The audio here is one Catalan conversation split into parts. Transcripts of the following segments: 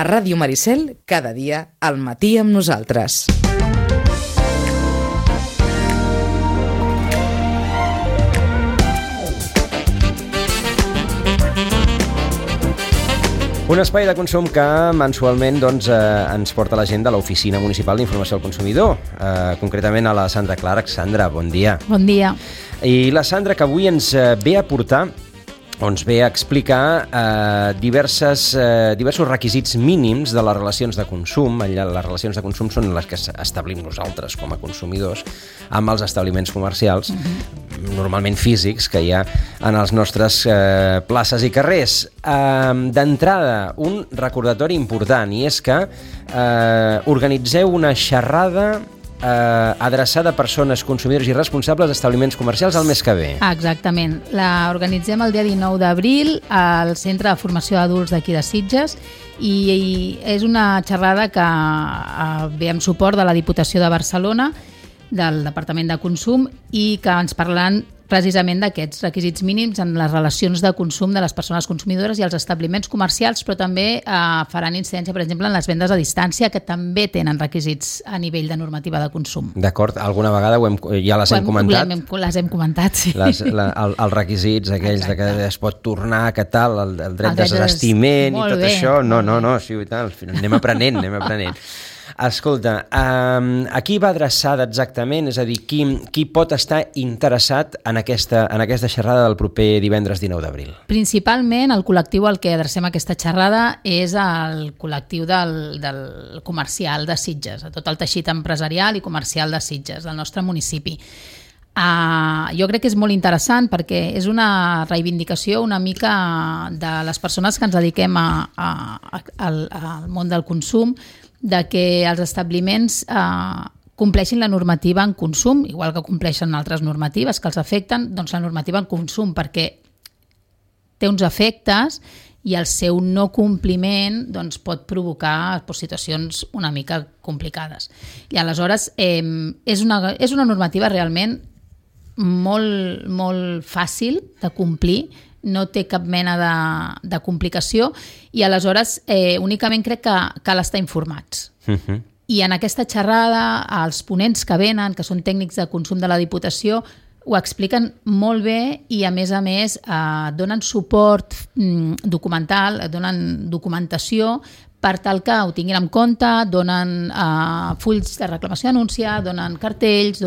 A Ràdio Maricel, cada dia, al matí amb nosaltres. Un espai de consum que mensualment ens porta la gent de l'Oficina Municipal d'Informació al Consumidor, concretament a la Sandra Clark. Sandra, bon dia. Bon dia. I la Sandra, que avui ens ve a portar, ens ve a explicar diversos requisits mínims de les relacions de consum. Les relacions de consum són les que establim nosaltres com a consumidors amb els establiments comercials, normalment físics, que hi ha en els nostres places i carrers. D'entrada, un recordatori important, i és que organitzeu una xerrada adreçada a persones, consumidors i responsables d'establiments comercials el mes que ve. Exactament. La organitzem el dia 19 d'abril al Centre de Formació d'Adults d'aquí de Sitges i és una xerrada que ve amb suport de la Diputació de Barcelona, del Departament de Consum, i que ens parlaran precisament d'aquests requisits mínims en les relacions de consum de les persones consumidores i els establiments comercials, però també faran incidència, per exemple, en les vendes a distància, que també tenen requisits a nivell de normativa de consum. D'acord, alguna vegada ja les hem comentat? Les hem comentat, sí. Els requisits aquells de que es pot tornar, que tal, el dret de desistiment i tot això. No, sí, i tal. Anem aprenent. Escolta, a qui va adreçada exactament? És a dir, qui pot estar interessat en aquesta xerrada del proper divendres 19 d'abril? Principalment el col·lectiu al que adrecem aquesta xerrada és el col·lectiu del comercial de Sitges, tot el teixit empresarial i comercial de Sitges, del nostre municipi. Jo crec que és molt interessant perquè és una reivindicació una mica de les persones que ens dediquem al món del consum, de que els establiments compleixin la normativa en consum, igual que compleixen altres normatives que els afecten, doncs la normativa en consum, perquè té uns efectes i el seu no compliment pot provocar situacions una mica complicades. I aleshores és una normativa realment molt, molt fàcil de complir, no té cap mena de complicació i aleshores únicament crec que cal estar informats. I en aquesta xerrada els ponents que venen, que són tècnics de consum de la Diputació, ho expliquen molt bé i a més donen suport documental, donen documentació per tal que ho tinguin en compte, donen fulls de reclamació i denúncia, donen cartells,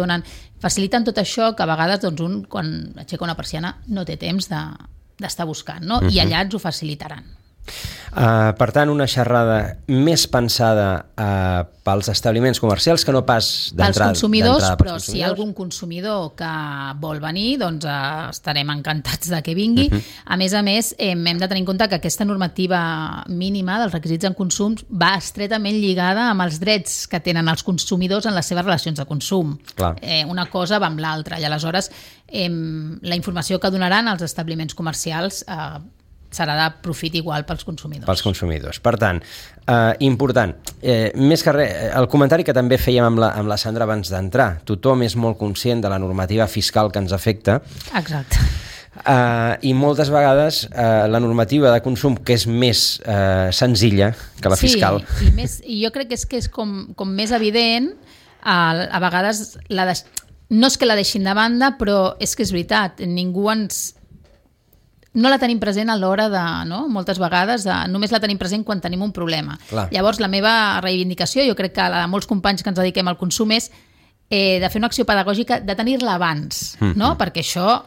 faciliten tot això que a vegades un, quan aixeca una persiana, no té temps d'estar buscant, no? I allà ens ho facilitaran. Per tant, una xerrada més pensada pels establiments comercials que no pas d'entrada. Pels consumidors, però si hi ha algun consumidor que vol venir, doncs estarem encantats de que vingui. A més, hem de tenir en compte que aquesta normativa mínima dels requisits en consum va estretament lligada amb els drets que tenen els consumidors en les seves relacions de consum. Una cosa va amb l'altra i aleshores la informació que donaran als establiments comercials serà de profit igual pels consumidors. Per tant, important, més que res, el comentari que també fèiem amb la Sandra abans d'entrar, tothom és molt conscient de la normativa fiscal que ens afecta. Exacte. I moltes vegades la normativa de consum, que és més senzilla que la fiscal. Sí, i jo crec que és com més evident, a vegades no és que la deixin de banda, però és que és veritat, no la tenim present a l'hora moltes vegades, només la tenim present quan tenim un problema. Llavors, la meva reivindicació, jo crec que la de molts companys que ens dediquem al consum és de fer una acció pedagògica, de tenir-la abans, perquè això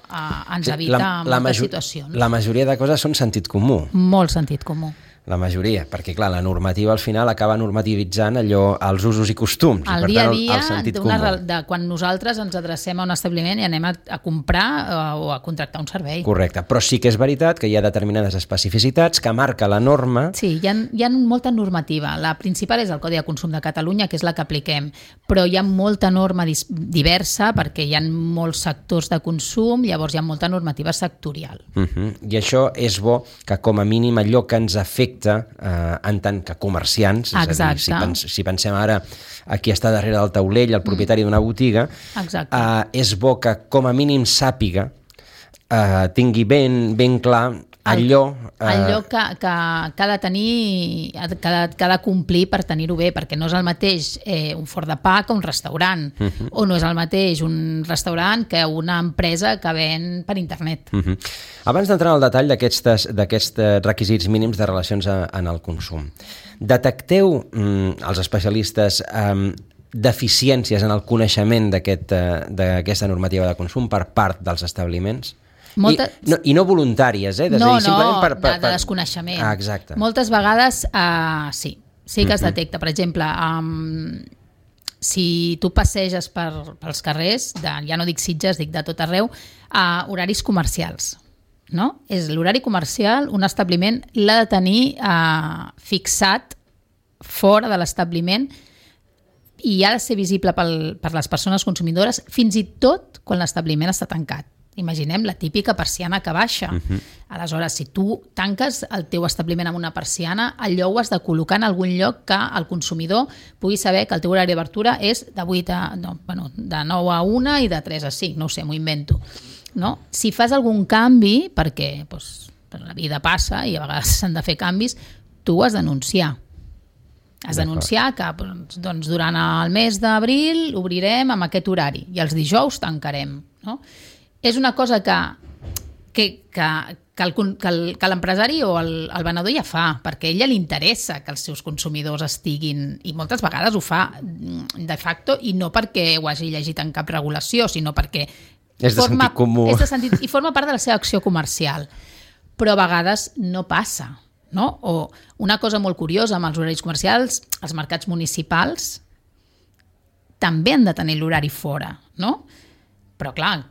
ens evita moltes situacions. La majoria de coses són sentit comú. Molt sentit comú. La majoria, perquè clar, la normativa al final acaba normativitzant els usos i costums. El dia a dia, de quan nosaltres ens adrecem a un establiment i anem a comprar o a contractar un servei. Correcte, però sí que és veritat que hi ha determinades especificitats que marca la norma. Sí, hi ha molta normativa. La principal és el Codi de Consum de Catalunya, que és la que apliquem, però hi ha molta norma diversa perquè hi ha molts sectors de consum, llavors hi ha molta normativa sectorial. I això és bo que com a mínim allò que ens afecta en tant que comerciants, és a dir, si pensem ara a qui està darrere del taulell, el propietari d'una botiga, és bo que com a mínim sàpiga, tingui ben clar allò que ha de tenir, que ha de complir per tenir-ho bé, perquè no és el mateix un forn de pa que un restaurant, o no és el mateix un restaurant que una empresa que ven per internet. Abans d'entrar en el detall d'aquests requisits mínims de relacions en el consum, detecteu els especialistes deficiències en el coneixement d'aquesta normativa de consum per part dels establiments? I no voluntàries, de desconeixement. Exacte. Moltes vegades sí que es detecta. Per exemple, si tu passeges pels carrers, ja no dic Sitges, dic de tot arreu, horaris comercials. No? És l'horari comercial, un establiment l'ha de tenir fixat fora de l'establiment i ha de ser visible per les persones consumidores, fins i tot quan l'establiment està tancat. Imaginem la típica persiana que baixa. Aleshores, si tu tanques el teu establiment amb una persiana, allò ho has de col·locar en algun lloc que el consumidor pugui saber que el teu horari d'obertura és de 9 a 1 i de 3 a 5, no ho sé, m'ho invento. No? Si fas algun canvi, perquè la vida passa i a vegades s'han de fer canvis, tu ho has d'anunciar. Has d'anunciar que durant el mes d'abril obrirem amb aquest horari i els dijous tancarem. No? És una cosa que l'empresari o el venedor ja fa, perquè a ella li interessa que els seus consumidors estiguin, i moltes vegades ho fa de facto, i no perquè ho hagi llegit en cap regulació, sinó perquè és de sentit comú. I forma part de la seva acció comercial. Però a vegades no passa. No? O una cosa molt curiosa amb els horaris comercials, els mercats municipals també han de tenir l'horari fora, no? Però clar,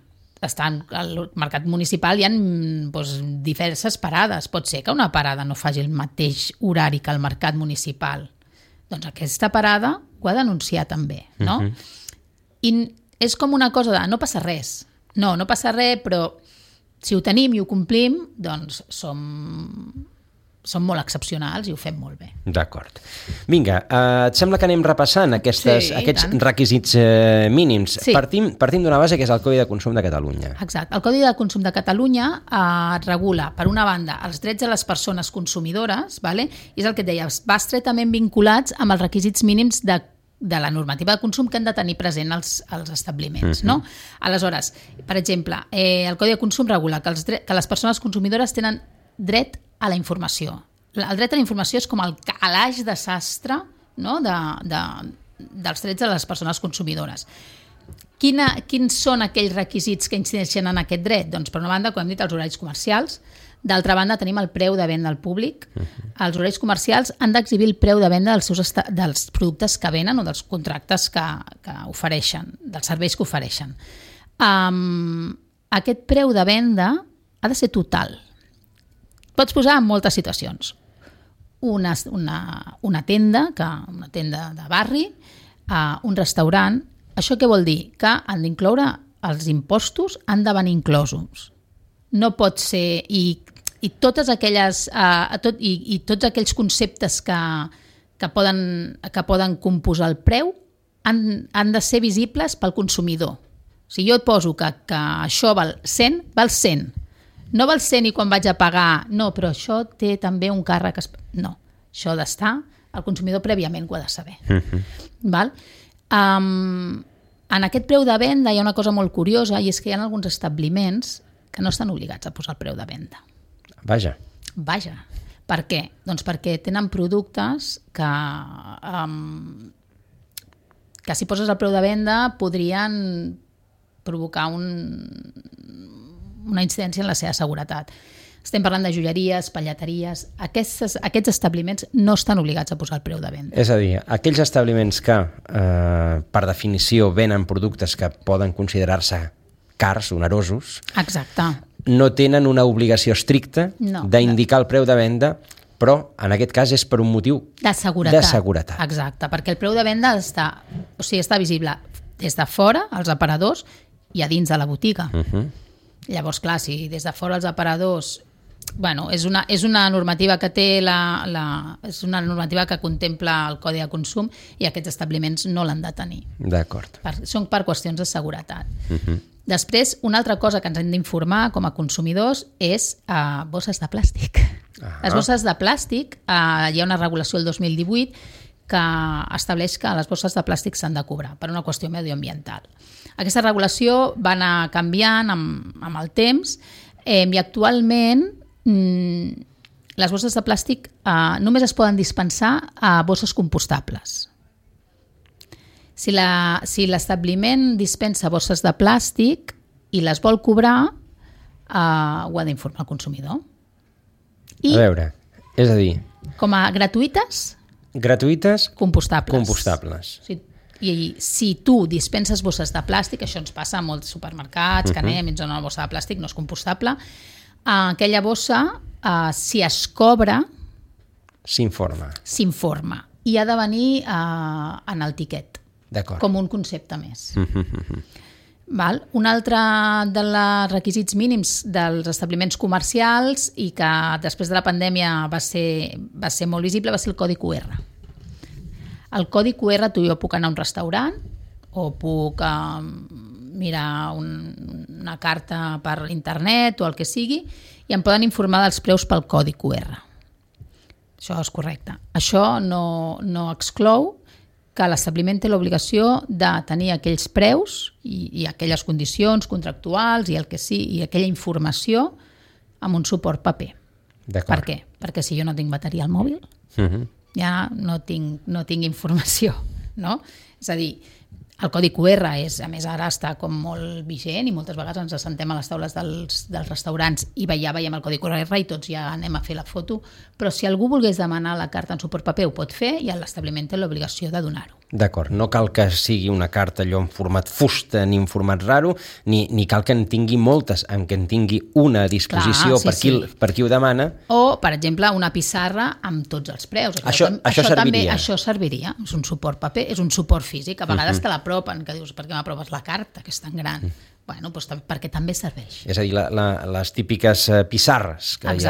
al mercat municipal hi ha diverses parades. Pot ser que una parada no faci el mateix horari que el mercat municipal. Doncs aquesta parada ho ha d'anunciar també, no? I és com una cosa de no passa res. No passa res, però si ho tenim i ho complim, doncs som molt excepcionals i ho fem molt bé. D'acord. Vinga, et sembla que anem repassant aquests requisits mínims? Sí. Partim d'una base que és el Codi de Consum de Catalunya. Exacte. El Codi de Consum de Catalunya regula, per una banda, els drets de les persones consumidores, vale? I és el que et deia, va estretament vinculats amb els requisits mínims de la normativa de consum que han de tenir present els establiments. No? Aleshores, per exemple, el Codi de Consum regula que les persones consumidores tenen dret a la informació. El dret a la informació és com el calaix de sastre, no? dels drets de les persones consumidores. Quins són aquells requisits que incideixen en aquest dret? Doncs, per una banda, com hem dit, els horaris comercials. D'altra banda, tenim el preu de venda al públic. Els horaris comercials han d'exhibir el preu de venda dels productes que venen o dels contractes que ofereixen, dels serveis que ofereixen. Aquest preu de venda ha de ser total. Pots posar en moltes situacions. Una tenda de barri, un restaurant. Això què vol dir? Que han d'incloure els impostos, han de venir inclosos. No pot ser... I totes aquelles... I tots aquells conceptes que poden composar el preu han de ser visibles pel consumidor. Si jo et poso que això val 100, val 100. No val 100 i quan vaig a pagar, no, però això té també un càrrec... No, això ha d'estar, el consumidor prèviament ho ha de saber. Val? En aquest preu de venda hi ha una cosa molt curiosa i és que hi ha alguns establiments que no estan obligats a posar el preu de venda. Vaja. Per què? Doncs perquè tenen productes que si poses el preu de venda podrien provocar una incidència en la seva seguretat. Estem parlant de joieries, pallateries... Aquests establiments no estan obligats a posar el preu de venda. És a dir, aquells establiments que, per definició, venen productes que poden considerar-se cars, onerosos... Exacte. No tenen una obligació estricta d'indicar el preu de venda, però en aquest cas és per un motiu de seguretat. Exacte, perquè el preu de venda està visible des de fora, als aparadors, i a dins de la botiga. Llavors, clar, si des de fora els aparadors bueno, és una normativa que té és una normativa que contempla el Codi de Consum i aquests establiments no l'han de tenir. D'acord. Són per qüestions de seguretat. Després, una altra cosa que ens hem d'informar com a consumidors és bosses de plàstic. Les bosses de plàstic, hi ha una regulació el 2018 que estableix que les bosses de plàstic s'han de cobrar per una qüestió medioambiental. Aquesta regulació va anar canviant amb el temps i actualment les bosses de plàstic només es poden dispensar a bosses compostables. Si l'establiment dispensa bosses de plàstic i les vol cobrar, ho ha d'informar el consumidor. A veure, és a dir... Com a gratuïtes... Gratuïtes... Compostables. I si tu dispenses bosses de plàstic, això ens passa a molts supermercats, que anem i ens donen una bossa de plàstic, no és compostable, aquella bossa, si es cobra... S'informa. I ha de venir en el tiquet. D'acord. Com un concepte més. Un altre dels requisits mínims dels establiments comercials i que després de la pandèmia va ser molt visible va ser el codi QR. El codi QR, tu i jo puc anar a un restaurant o puc mirar una carta per internet o el que sigui i em poden informar dels preus pel codi QR. Això és correcte. Això no exclou que l'establiment té l'obligació de tenir aquells preus i aquelles condicions contractuals i el que sigui, i aquella informació amb un suport paper. Per què? Perquè si jo no tinc bateria al mòbil, ja no tinc informació, no? És a dir, el codi QR a més ara està com molt vigent i moltes vegades ens assentem a les taules dels restaurants i ja veiem el codi QR i tots ja anem a fer la foto, però si algú volgués demanar la carta en suport paper ho pot fer i l'establiment té l'obligació de donar-ho. D'acord, no cal que sigui una carta allò en format fusta ni en format raro, ni cal que en tingui moltes, en què en tingui una a disposició. Per qui ho demana. O, per exemple, una pissarra amb tots els preus. Això serviria. També, això serviria. És un suport paper, és un suport físic. A vegades te l'apropen, que dius, per què m'apropes la carta, que és tan gran? Bueno, doncs perquè també serveix. És a dir, les típiques pissarres que hi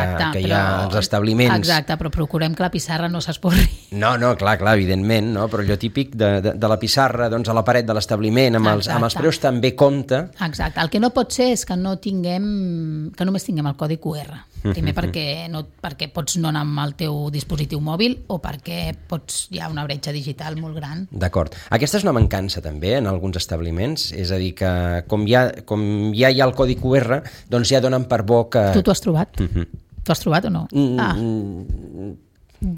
ha als establiments. Exacte, però procurem que la pissarra no s'esporri. No, clar, evidentment, no? Però allò típic de la pissarra doncs, a la paret de l'establiment amb els preus també compta. Exacte, el que no pot ser és que només tinguem el codi QR. Primer perquè pots no anar amb el teu dispositiu mòbil o perquè hi ha una bretxa digital molt gran. D'acord. Aquesta és una mancança també en alguns establiments, és a dir, que com ja hi ha el codi QR, doncs ja donen per bo que... Tu t'ho has trobat? T'ho has trobat o no?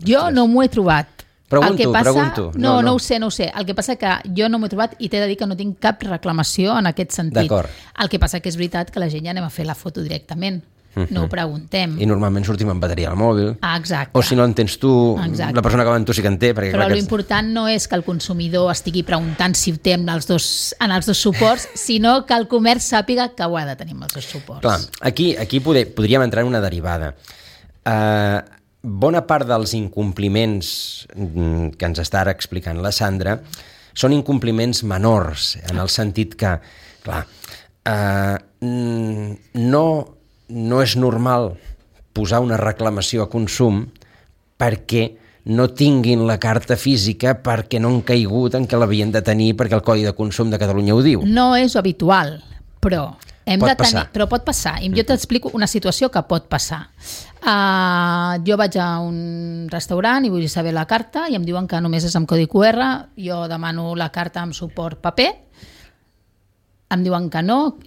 Jo no m'ho he trobat. Pregunto. No ho sé. El que passa que jo no m'ho he trobat i t'he de dir que no tinc cap reclamació en aquest sentit. D'acord. El que passa que és veritat que la gent ja anem a fer la foto directament. No ho preguntem. I normalment sortim amb bateria al mòbil. Exacte. O si no en tens tu, la persona que va amb tu sí que en té. Però l'important no és que el consumidor estigui preguntant si ho té en els dos suports, sinó que el comerç sàpiga que ho ha de tenir amb els dos suports. Clar, aquí podríem entrar en una derivada. Bona part dels incompliments que ens està ara explicant la Sandra són incompliments menors, en el sentit que, clar, no és normal posar una reclamació a consum perquè no tinguin la carta física perquè no han caigut en què l'havien de tenir perquè el Codi de Consum de Catalunya ho diu. No és habitual, però pot passar. I jo t'explico una situació que pot passar. Jo vaig a un restaurant i vull saber la carta i em diuen que només és amb codi QR, jo demano la carta amb suport paper, em diuen que no,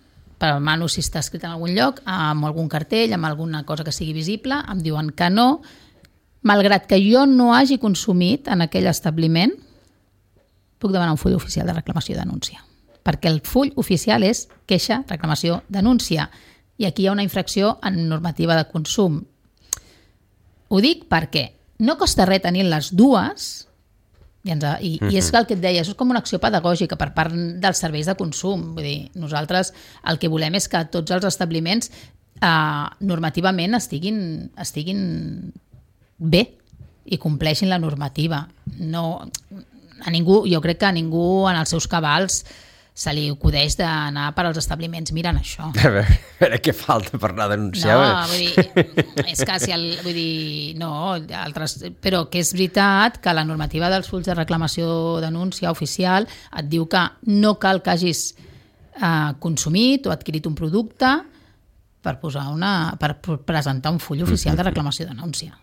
però demano si està escrit en algun lloc, amb algun cartell, amb alguna cosa que sigui visible, em diuen que no, malgrat que jo no hagi consumit en aquell establiment, puc demanar un full oficial de reclamació i denúncia. Perquè el full oficial és queixa, reclamació, denúncia. I aquí hi ha una infracció en normativa de consum. Ho dic perquè no costa res tenir les dues. I és el que et deia, això és com una acció pedagògica per part dels serveis de consum. Vull dir, nosaltres el que volem és que tots els establiments normativament estiguin bé i compleixin la normativa. Jo crec que a ningú en els seus cabals se li acudeix d'anar per als establiments mirant això. A veure què falta per anar a denunciar. No, vull dir, és que si vull dir, no, però que és veritat que la normativa dels fulls de reclamació denúncia oficial et diu que no cal que hagis consumit o adquirit un producte per presentar un full oficial de reclamació denúncia.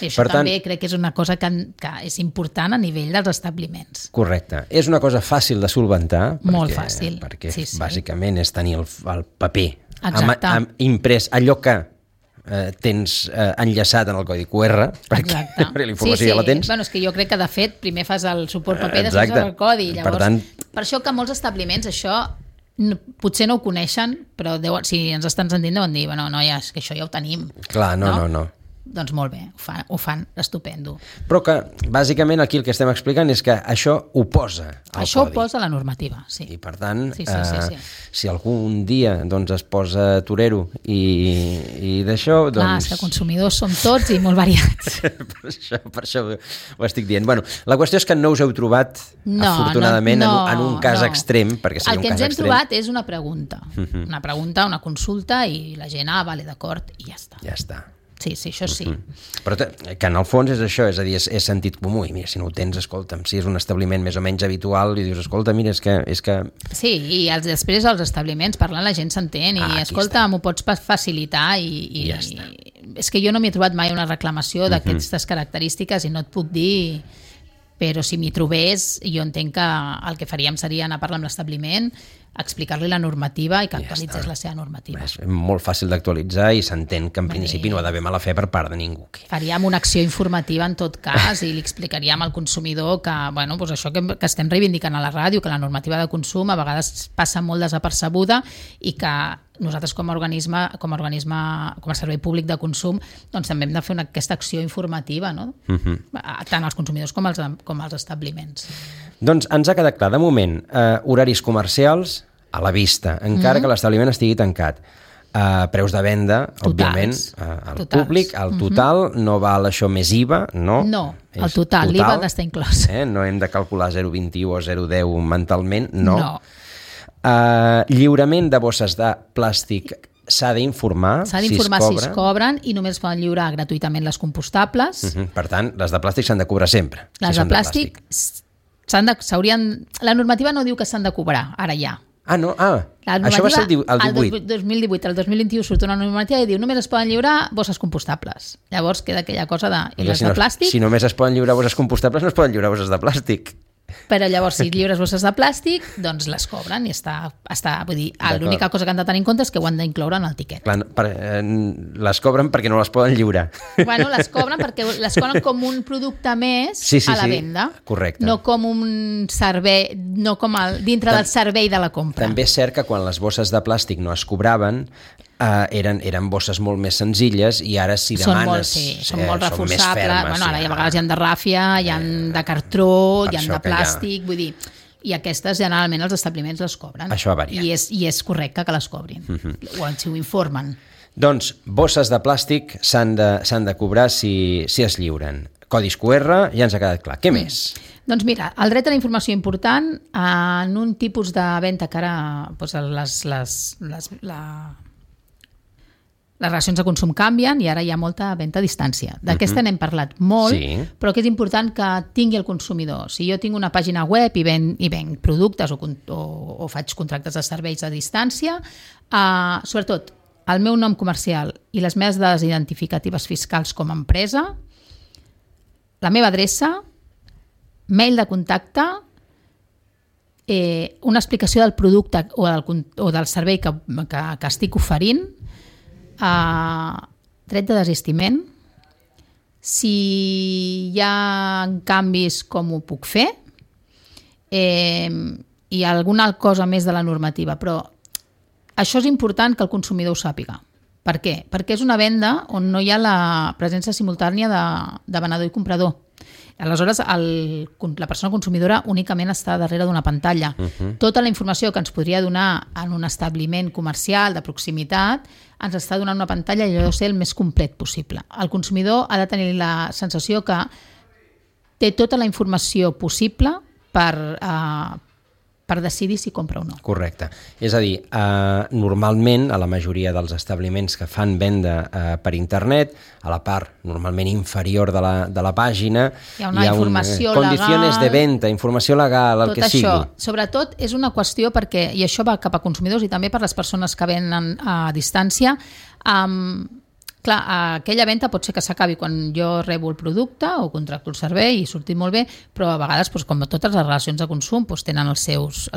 I això també crec que és una cosa que és important a nivell dels establiments. Correcte. És una cosa fàcil de solventar. Molt fàcil. Perquè bàsicament és tenir el paper imprès, allò que tens enllaçat en el codi QR, perquè la informació ja la tens. Bueno, és que jo crec que de fet primer fas el suport paper, després el codi. Llavors, per això que molts establiments això potser no ho coneixen, però si ens estan sentint deuen dir, bueno, noies, que això ja ho tenim. Clar, no. Doncs molt bé, ho fan estupendo. Però que, bàsicament, aquí el que estem explicant és que això ho posa al codi. Això ho posa la normativa, sí. I, per tant, si algun dia es posa torero i d'això... Clar, és que consumidors som tots i molt variats. per això ho estic dient. Bueno, la qüestió és que no us heu trobat, afortunadament, en un cas extrem, perquè seria un cas extrem. El que ens hem trobat és una pregunta, una consulta, i la gent, vale, d'acord, i ja està. Ja està. Sí, això sí. Però que en el fons és això, és a dir, és sentit comú, i mira, si no ho tens, escolta'm, si és un establiment més o menys habitual, i dius, escolta, mira, és que... Sí, i després als establiments parlant la gent s'entén, i escolta, m'ho pots facilitar, i ja està. És que jo no m'he trobat mai una reclamació d'aquestes característiques i no et puc dir... Però si m'hi trobés, jo entenc que el que faríem seria anar a parlar amb l'establiment, explicar-li la normativa i que actualitzés la seva normativa. És molt fàcil d'actualitzar i s'entén que en principi no ha d'haver mala fe per part de ningú. Faríem una acció informativa en tot cas i li explicaríem al consumidor que, bueno, doncs això que estem reivindicant a la ràdio, que la normativa de consum a vegades passa molt desapercebuda i que nosaltres com a servei públic de consum doncs també hem de fer aquesta acció informativa, no? Tant als consumidors com als establiments. Doncs ens ha quedat clar, de moment, horaris comercials a la vista, encara que l'establiment estigui tancat. Preus de venda, òbviament, al públic, al total, no val això més IVA, no? No, el total, l'IVA ha d'estar inclòs. No hem de calcular 0,21 o 0,10 mentalment, no. Lliurament de bosses de plàstic s'ha d'informar si es cobren i només poden lliurar gratuïtament les compostables. Per tant, les de plàstic s'han de cobrar sempre. Les de plàstic la normativa no diu que s'han de cobrar, ara ja. No? Això va ser el 18. El 2018, el 2021 surt una normativa i diu només es poden lliurar bosses compostables. Llavors queda aquella cosa de... I les de plàstic... Si només es poden lliurar bosses compostables, no es poden lliurar bosses de plàstic. Però llavors, si lliures bosses de plàstic, doncs les cobren i està vull dir, l'única cosa que han de tenir en compte és que ho han d'incloure en el tiquet. Les cobren perquè no les poden lliurar. Bueno, les cobren perquè les cobren com un producte més a la venda. Correcte. No com un servei, no com dintre del servei de la compra. També és cert que quan les bosses de plàstic no es cobraven, eren bosses molt més senzilles i ara si demanes són molt reforçables, bueno, ara a vegades hi ha de ràfia, hi ha de cartró, hi ha de plàstic, vull dir, i aquestes generalment els establiments les cobren. Això ha variat. I és correcte que les cobrin, si ho informen. Doncs bosses de plàstic s'han de cobrar si es lliuren. Codis QR ja ens ha quedat clar. Què més? Doncs mira, el dret a la informació important en un tipus de venda que ara les relacions de consum canvien i ara hi ha molta venda a distància. D'aquesta n'hem parlat molt, però que és important que tingui el consumidor. Si jo tinc una pàgina web i venc productes o faig contractes de serveis a distància, sobretot el meu nom comercial i les meves dades identificatives fiscals com a empresa, la meva adreça, mail de contacte, una explicació del producte o del servei que estic oferint, dret de desistiment, si hi ha canvis com ho puc fer, i alguna cosa més de la normativa, però això és important que el consumidor ho sàpiga. Per què? Perquè és una venda on no hi ha la presència simultània de venedor i comprador. Aleshores, la persona consumidora únicament està darrere d'una pantalla. Tota la informació que ens podria donar en un establiment comercial de proximitat ens està donant una pantalla i allò de ser el més complet possible. El consumidor ha de tenir la sensació que té tota la informació possible per per decidir si compra o no. Correcte. És a dir, normalment a la majoria dels establiments que fan venda per internet, a la part normalment inferior de la pàgina hi ha una informació legal, condiciones de venda, informació legal, el que sigui. Tot això, sobretot, és una qüestió perquè, i això va cap a consumidors i també per les persones que venen a distància, clar, aquella venda pot ser que s'acabi quan jo rebo el producte o contracto el servei i surti molt bé, però a vegades, com totes les relacions de consum, tenen les seves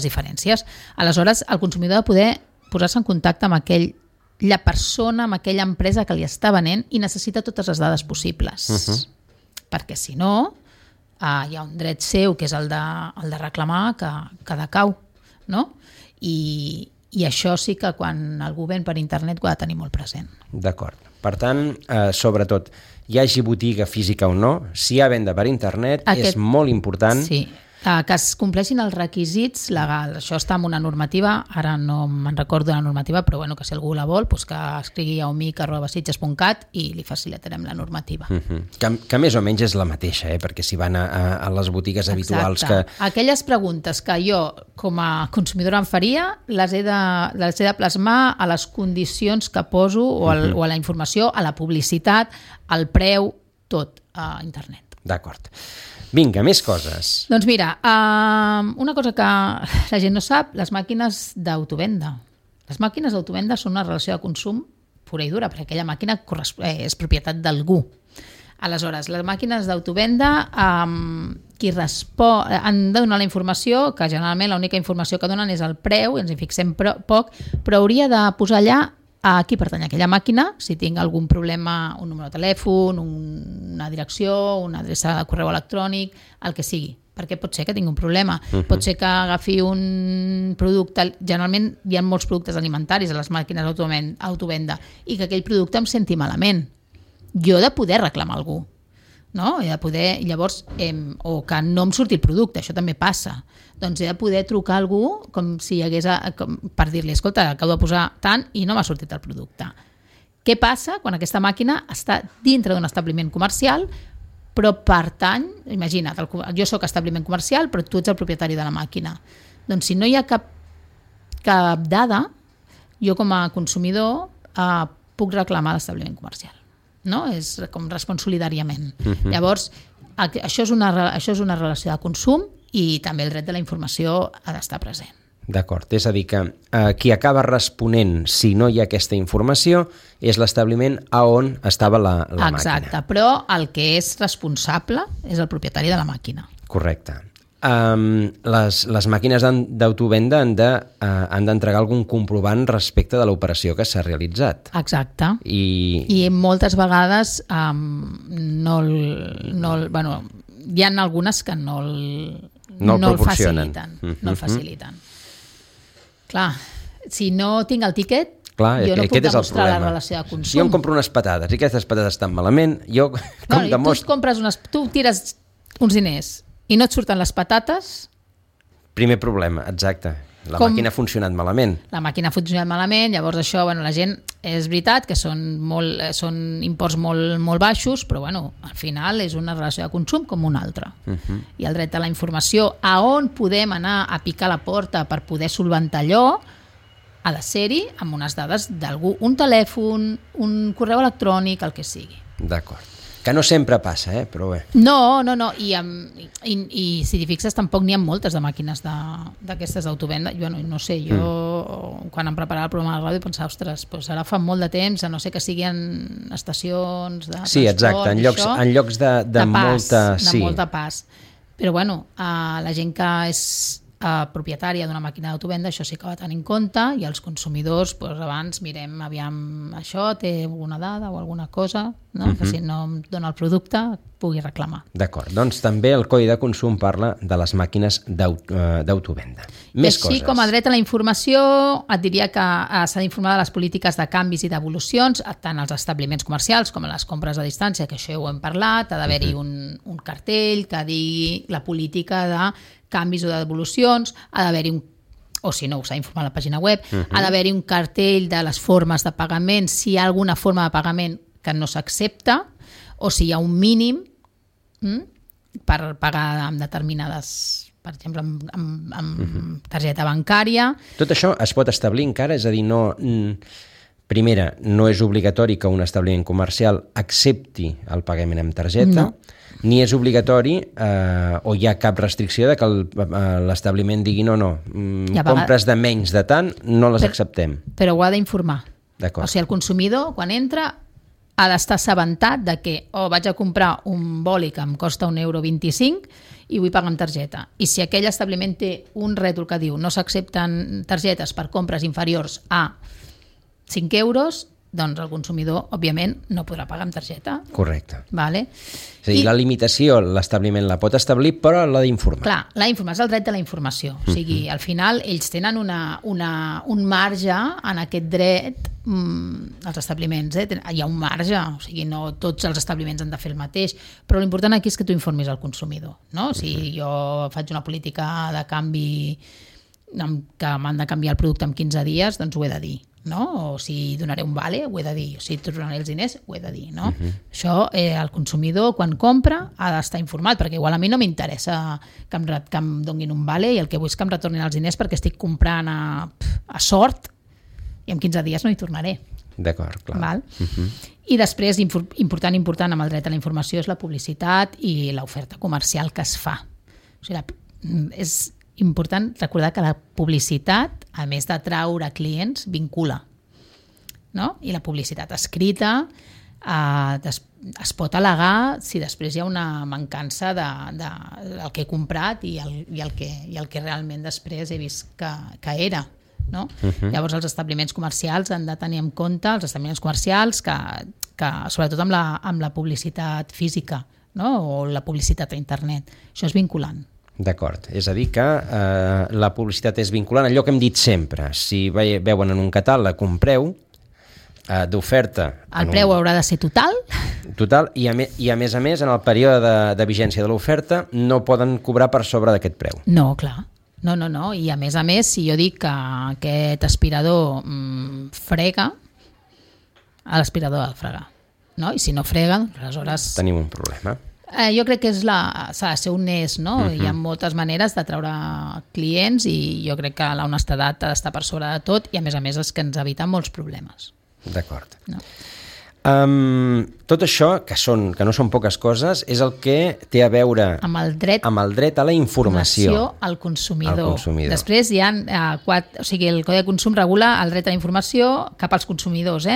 diferències. Aleshores, el consumidor ha de poder posar-se en contacte amb la persona, amb aquella empresa que li està venent i necessita totes les dades possibles. Perquè si no, hi ha un dret seu, que és el de reclamar, que decau, no? I això sí que quan algú ven per internet ho ha de tenir molt present. D'acord. Per tant, sobretot, hi hagi botiga física o no, si hi ha venda per internet, és molt important... Sí, que es compleixin els requisits legals. Això està en una normativa, ara no me'n recordo de la normativa, però bueno, que si algú la vol, que escrigui a omic@sitges.cat i li facilitarem la normativa. Que més o menys és la mateixa, perquè si van a les botigues habituals que... Aquelles preguntes que jo, com a consumidora, em faria, les he de plasmar a les condicions que poso o a la informació, a la publicitat, al preu, tot a internet. D'acord. Vinga, més coses. Doncs mira, una cosa que la gent no sap, les màquines d'autovenda. Les màquines d'autovenda són una relació de consum pura i dura, perquè aquella màquina és propietat d'algú. Aleshores, les màquines d'autovenda qui han de donar la informació, que generalment l'única informació que donen és el preu, i ens hi fixem poc, però hauria de posar allà a qui pertany aquella màquina, si tinc algun problema, un número de telèfon, una direcció, una adreça de correu electrònic, el que sigui, perquè pot ser que tingui un problema. Pot ser que agafi un producte, generalment hi ha molts productes alimentaris a les màquines d'autovenda, i que aquell producte em senti malament. Jo he de poder reclamar algú, no? He de poder, llavors, o que no em surti el producte, això també passa. Doncs he de poder trucar a algú com si hi hagués, per dir-li, escolta, acabo de posar tant i no m'ha sortit el producte. Què passa quan aquesta màquina està dintre d'un establiment comercial, però pertany, imagina't, jo sóc establiment comercial, però tu ets el propietari de la màquina. Doncs si no hi ha cap dada, jo com a consumidor puc reclamar l'establiment comercial. No? És com respon solidàriament. Llavors, això és una relació de consum i també el dret de la informació ha d'estar present. D'acord, és a dir que qui acaba responent si no hi ha aquesta informació és l'establiment a on estava la màquina. Exacte, però el que és responsable és el propietari de la màquina. Correcte. Les màquines d'autovenda han d'entregar algun comprovant respecte de l'operació que s'ha realitzat. Exacte. I moltes vegades hi ha algunes que no el faciliten. No el faciliten. Clar, si no tinc el tíquet, jo no puc demostrar la relació de consum. Si jo em compro unes patates i aquestes patates estan malament, jo com demostro... Tu tires uns diners i no et surten les patates... Primer problema, exacte. Màquina ha funcionat malament. La màquina ha funcionat malament, llavors això, la gent, és veritat que són imports molt baixos, però al final és una relació de consum com una altra. I el dret a la informació, a on podem anar a picar la porta per poder solventar allò, ha de ser-hi amb unes dades d'algú, un telèfon, un correu electrònic, el que sigui. D'acord. Que no sempre passa, però bé. No. I si t'hi fixes, tampoc n'hi ha moltes de màquines d'aquestes d'autovenda. Jo no sé, quan em preparava el programa de la ràdio pensava, ostres, ara fa molt de temps, a no sé que siguin estacions de transport. Sí, exacte, en llocs de molta pas. Però la gent que és propietària d'una màquina d'autovenda, això sí que ho ha de tenir en compte, i els consumidors, abans mirem, aviam, això té alguna dada o alguna cosa, que si no em dona el producte pugui reclamar. D'acord, doncs també el Codi de Consum parla de les màquines d'autovenda. Més coses. Així com a dret a la informació, et diria que s'ha d'informar de les polítiques de canvis i devolucions, tant als establiments comercials com a les compres a distància, que això ja ho hem parlat, ha d'haver-hi un cartell que digui la política de canvis o de devolucions, ha d'haver-hi o si no, s'ha d'informar a la pàgina web, ha d'haver-hi un cartell de les formes de pagament, si hi ha alguna forma de pagament que no s'accepta, o si hi ha un mínim per pagar amb determinades per exemple, amb targeta bancària. Tot això es pot establir encara? És a dir, primera, no és obligatori que un establiment comercial accepti el pagament amb targeta, ni és obligatori o hi ha cap restricció de que l'establiment digui compres de menys de tant, no les acceptem. Però ho ha d'informar. D'acord. O sigui, el consumidor, quan entra, ha d'estar assabentat de que vaig a comprar un boli que em costa €1,25 i vull pagar amb targeta. I si aquell establiment té un rètol que diu no s'accepten targetes per compres inferiors a 5 euros, doncs el consumidor, òbviament, no podrà pagar amb targeta. Correcte. Vale? És a dir, la limitació l'establiment la pot establir, però l'ha d'informar. Clar, l'ha d'informar, és el dret de la informació. O sigui, al final, ells tenen un marge en aquest dret, els establiments, hi ha un marge, o sigui, no tots els establiments han de fer el mateix, però l'important aquí és que tu informis al consumidor, no? Si jo faig una política de canvi que m'han de canviar el producte en 15 dies, doncs ho he de dir, no? O si donaré un vale, ho he de dir, o si tornaré els diners, ho he de dir, no? Això, el consumidor, quan compra, ha d'estar informat, perquè igual a mi no m'interessa que em donin un vale i el que vull és que em retornin els diners perquè estic comprant a sort i en 15 dies no hi tornaré. D'acord, clar. Val? I després, important amb el dret a la informació, és la publicitat i l'oferta comercial que es fa. O sigui, és important recordar que la publicitat, a més d'atraure clients, vincula. No? I la publicitat escrita es pot al·legar si després hi ha una mancança del que he comprat i el que realment després he vist que era. No? Llavors els establiments comercials han de tenir en compte, els establiments comercials que sobretot amb la publicitat física, no? O la publicitat a internet, això és vinculant. D'acord, és a dir que la publicitat és vinculant, allò que hem dit sempre, si veuen en un catàleg un preu d'oferta... El preu haurà de ser total. Total, i a més en el període de vigència de l'oferta no poden cobrar per sobre d'aquest preu. No, clar. No, i a més, si jo dic que aquest aspirador frega, l'aspirador ha de fregar, no? I si no frega, aleshores... Tenim un problema. Jo crec que s'ha de ser honest, no? Hi ha moltes maneres d'atraure clients i jo crec que la honestedat ha d'estar per sobre de tot i a més és que ens evita molts problemes. D'acord. No. Tot això, que no són poques coses, és el que té a veure amb el dret a la informació al consumidor. Després hi ha o sigui, el Codi de Consum regula el dret a la informació cap als consumidors,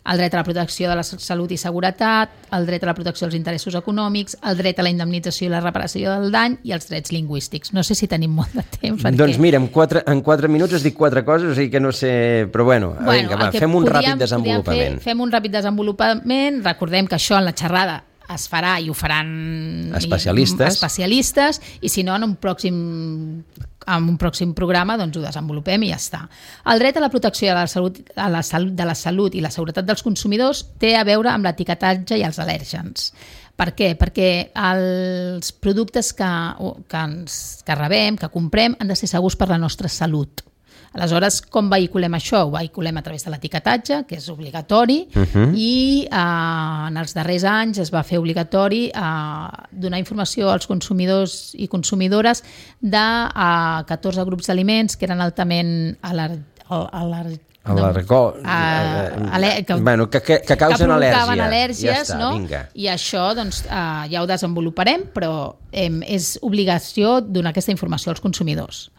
el dret a la protecció de la salut i seguretat, el dret a la protecció dels interessos econòmics, el dret a la indemnització i la reparació del dany i els drets lingüístics. No sé si tenim molt de temps. Doncs mira, en 4 minuts has dit 4 coses, o sigui que no sé... Però vinga, va, fem un ràpid desenvolupament. Fem un ràpid desenvolupament. Recordem que això en la xerrada es farà i ho faran especialistes i si no en un pròxim programa doncs ho desenvolupem i ja està. El dret a la protecció de la salut i la seguretat dels consumidors té a veure amb l'etiquetatge i els al·lèrgens. Per què? Perquè els productes que rebem, que comprem, han de ser segurs per la nostra salut. Aleshores, com vehiculem això? Ho vehiculem a través de l'etiquetatge, que és obligatori, i en els darrers anys es va fer obligatori donar informació als consumidors i consumidores de 14 grups d'aliments que eren altament que causen al·lèrgies, ja està, no? Vinga. I això doncs, ja ho desenvoluparem, però és obligació donar aquesta informació als consumidors.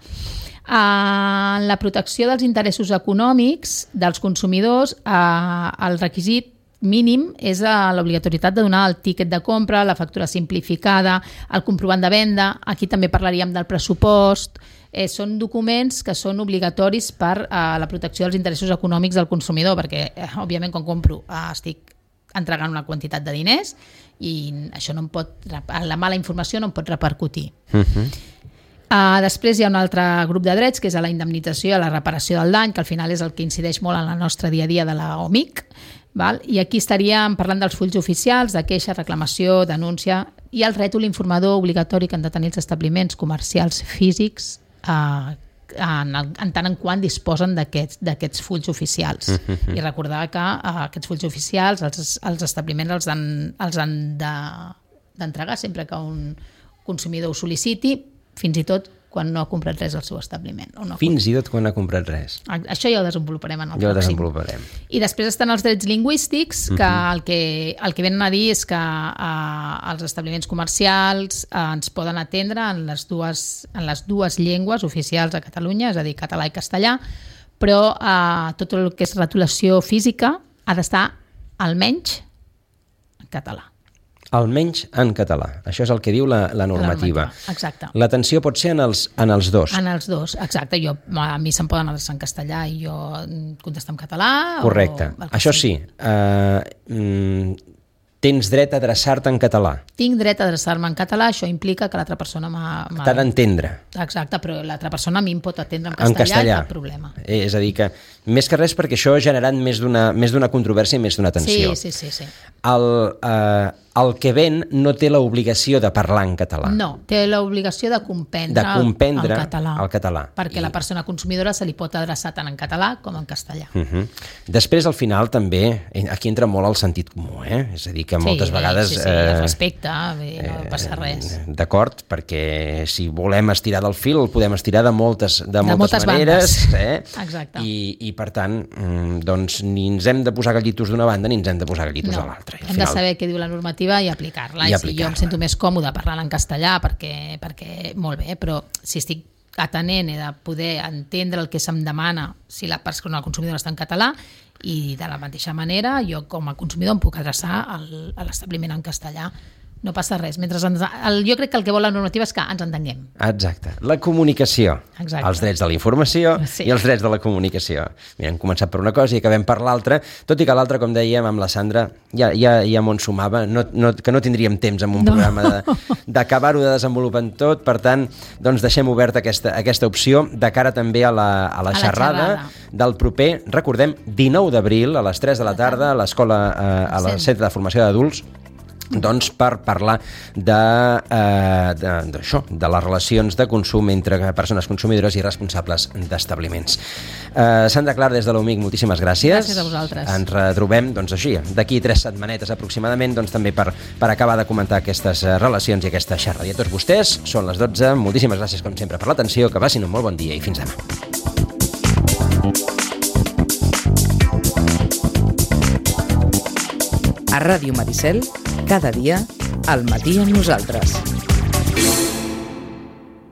La protecció dels interessos econòmics dels consumidors, el requisit mínim és l'obligatorietat de donar el tíquet de compra, la factura simplificada, el comprovant de venda. Aquí també parlaríem del pressupost. Són documents que són obligatoris per la protecció dels interessos econòmics del consumidor, perquè, òbviament, quan compro estic entregant una quantitat de diners i això no em pot, la mala informació no em pot repercutir. Després hi ha un altre grup de drets que és la indemnització i la reparació del dany, que al final és el que incideix molt en el nostre dia a dia de la OMIC, val? I aquí estaríem parlant dels fulls oficials, de queixa, reclamació, denúncia i el rètol informador obligatori que han de tenir els establiments comercials físics en tant en quant disposen d'aquests fulls oficials. I recordar que aquests fulls oficials els establiments els han d'entregar sempre que un consumidor ho sol·liciti, fins i tot quan no ha comprat res al seu establiment. Fins i tot quan ha comprat res. Això ja ho desenvoluparem en el Ja ho pròxim. desenvoluparem. I després estan els drets lingüístics, que el que venen a dir és que els establiments comercials ens poden atendre en les dues llengües oficials a Catalunya, és a dir, català i castellà, però tot el que és retolació física ha d'estar almenys en català. Almenys en català. Això és el que diu la normativa. Exacte. L'atenció pot ser en els dos. En els dos, exacte. A mi se'm poden adreçar en castellà i jo contestar en català. Correcte. Això sí, tens dret a adreçar-te en català. Tinc dret a adreçar-me en català, això implica que l'altra persona t'ha d'entendre. Exacte, però l'altra persona a mi em pot atendre en castellà. I cap problema. És a dir que, més que res, perquè això ha generat més d'una controvèrsia i més d'una tensió. Sí. El que ven no té l'obligació de parlar en català. No, té l'obligació de comprendre el català. Perquè la persona consumidora se li pot adreçar tant en català com en castellà. Després, al final, també, aquí entra molt el sentit comú, és a dir, que moltes vegades... Sí, el respecte, no passa res. D'acord, perquè si volem estirar del fil, el podem estirar de moltes maneres. Exacte. I, per tant, doncs, ni ens hem de posar gallitos d'una banda ni ens hem de posar gallitos de l'altra. Hem de saber què diu la normativa i aplicar-la. I si jo em sento més còmode parlant en castellà perquè molt bé, però si estic atenent he de poder entendre el que se'm demana si la persona, el consumidor, està en català, i de la mateixa manera jo com a consumidor em puc adreçar a l'establiment en castellà. No passa res. Jo crec que el que vol la normativa és que ens entenguem. Exacte. La comunicació. Exacte. Els drets de la informació i els drets de la comunicació. Mira, hem començat per una cosa i acabem per l'altra, tot i que l'altra, com dèiem amb la Sandra, ja m'ho ensumava, que no tindríem temps en un programa d'acabar-ho de desenvolupar en tot. Per tant, doncs deixem oberta aquesta opció de cara també a la xerrada del proper, recordem, 19 d'abril a les 3 de la tarda a l'escola, al Centre de Formació d'Adults, doncs per parlar d'això, de les relacions de consum entre persones consumidores i responsables d'establiments. Sandra Clar, des de l'UMIC, moltíssimes gràcies. Gràcies a vosaltres. Ens retrobem, doncs així, d'aquí 3 setmanetes aproximadament, doncs també per acabar de comentar aquestes relacions i aquesta xerrada. I a tots vostès, són les 12, moltíssimes gràcies com sempre per l'atenció, que passin un molt bon dia i fins demà. A Ràdio Maricel, cada dia, al matí amb nosaltres.